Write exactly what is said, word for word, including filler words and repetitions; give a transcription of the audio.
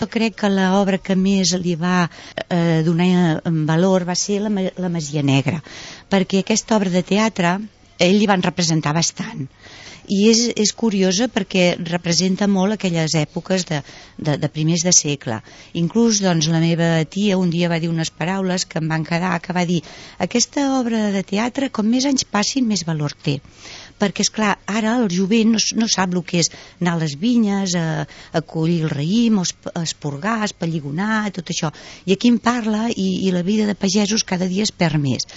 jo crec que l'obra que més li va eh, donar valor va ser la, la Masia Negra, perquè aquesta obra de teatre ell li van representar bastant, i és, és curiosa perquè representa molt aquelles èpoques de, de, de primers de segle. Inclús doncs, la meva tia un dia va dir unes paraules que em van quedar, que va dir: aquesta obra de teatre, com més anys passin, més valor té, perquè és clar, ara el jovent no, no sap el que és anar a les vinyes, a, a collir el raïm, a esporgar, a espelligonar, tot això, i aquí en parla, i, i la vida de pagesos cada dia es perd més.